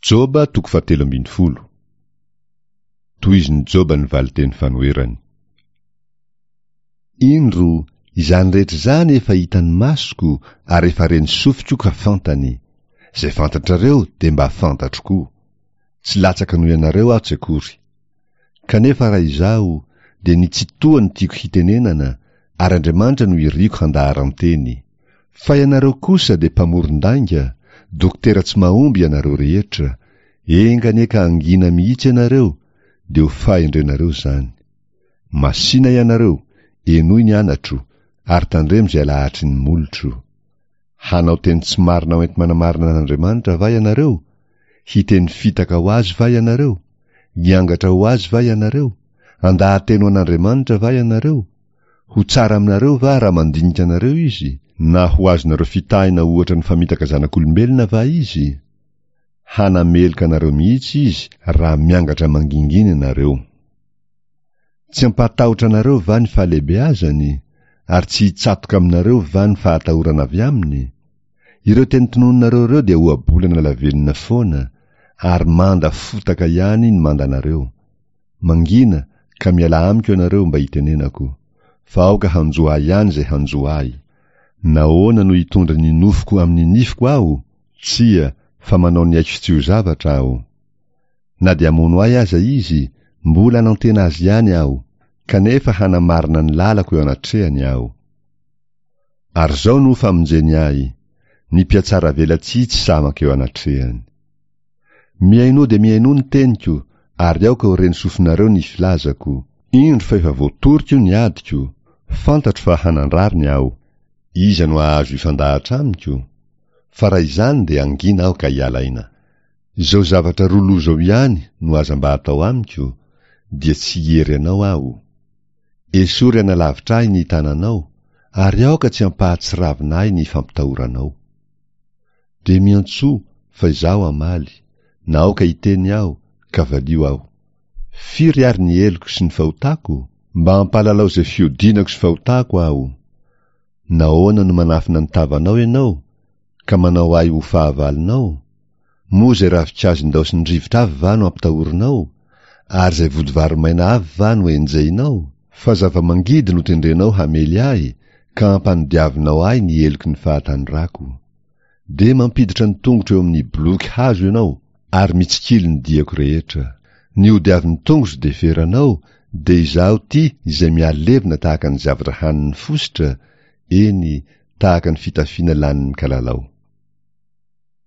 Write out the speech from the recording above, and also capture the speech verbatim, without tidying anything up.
Joba toko fahatelo ambin'ny folo. Tohizin'i Joba ny valinteny fanoherany. Indro, izany rehetra izany efa hitan'ny masoko ary efa ren'ny sofiko ka fantany. Izay fantatrareo dia mba fantatro koa. Tsy latsaka noho ianareo aho tsy akory. Kanefa raha izaho, dia ny Tsitoha no tiako hitenenana, ary Andriamanitra no iriko handaharan-teny. Fa ianareo kosa dia mpamoron-dainga, dokotera tsy mahomby ianareo rehetra, enga anie ka hangina mihitsy ianareo, dia ho fahendrenareo izany. Masìna ianareo, henoy ny anatro, ary tandremo izay alahatry ny molotro. Hanao teny tsy marina hoenti-manamarina an'Andriamanitra va ianareo? Hiteny fitaka ho azy va ianareo? Hiangatra ho azy va ianareo? Handaha-teny ho an'Andriamanitra va ianareo? Ho tsara aminareo va raha mandinika anareo izy? Na ho azonareo fitahina ohatra ny famitaka zanak'olombelona va izy? Hanameloka anareo mihitsy izy raha miangatra mangingina ianareo. Tsy hampahatahotra anareo va ny fahalehibeazany? Ary tsy hitsatoka aminareo va ny fahatahorana avy aminy? Ireo teny tononinareo ireo dia ohabolana lavenona foana, ary manda fotaka ihany ny mandanareo. Mangina, ka mialà amiko ianareo mba hitenenako. Fa aoka hanjo ahy ihany izay hanjo ahy. Nahoana no hitondra ny nofoko amin'ny nifiko aho? Tsia, fa manao ny aiko tsy ho zavatra aho. Na dia hamono ahy aza izy, mbola hanantena azy ihany aho, kanefa hanamarina ny lalako eo anatrehany aho. Ary izao no famonjeny ahy, ny mpihatsaravelatsihy tsy sahy mankeo anatrehany. Mihainoa dia mihainoa ny teniko, ary aoka ho ren'ny sofinareo ny filazako. Indro fa efa voatoriko ny adiko, fantatro fa hanan-drariny aho. Iza no hahazo hifandahatra amiko? Fa raha izany dia hangina aho ka hiala aina. Izao zavatra roa loha izao ihany no aza mba atao amiko, dia tsy hiery anao aho. Esory hanalavitra ahy ny tananao, ary aoka tsy hampahatsiravina ahy ny fampitahoranao. Dia miantsoa, fa izaho hamaly, na aoka hiteny aho, ka valio aho. Firy ary ny heloko sy ny fahotako? Mba hampahalalao izay fihodinako sy fahotako aho. Nahoana no manafina ny tavanao ianao, ka manao ahy ho fahavalonao? Moa izay ravinkazo indaosin'ny rivotra avy va no ampitahorinao? Ary izay vodivary maina avy va no enjehinao? Fa zava-mangidy no tendrenao hamely ahy, ka ampanodiavinao ahy ny heloky ny fahatanorako. Dia mampiditra ny tongotro eo amin'ny boloky hazo ianao, ary mitsikilo ny diako rehetra. Ny hodiavin'ny tongotro dia feranao, dia izaho ity izay mihalevona tahaka ny zavatra hanin'ny fositra, eny, tahaka ny fitafiana lanin'ny kalalao.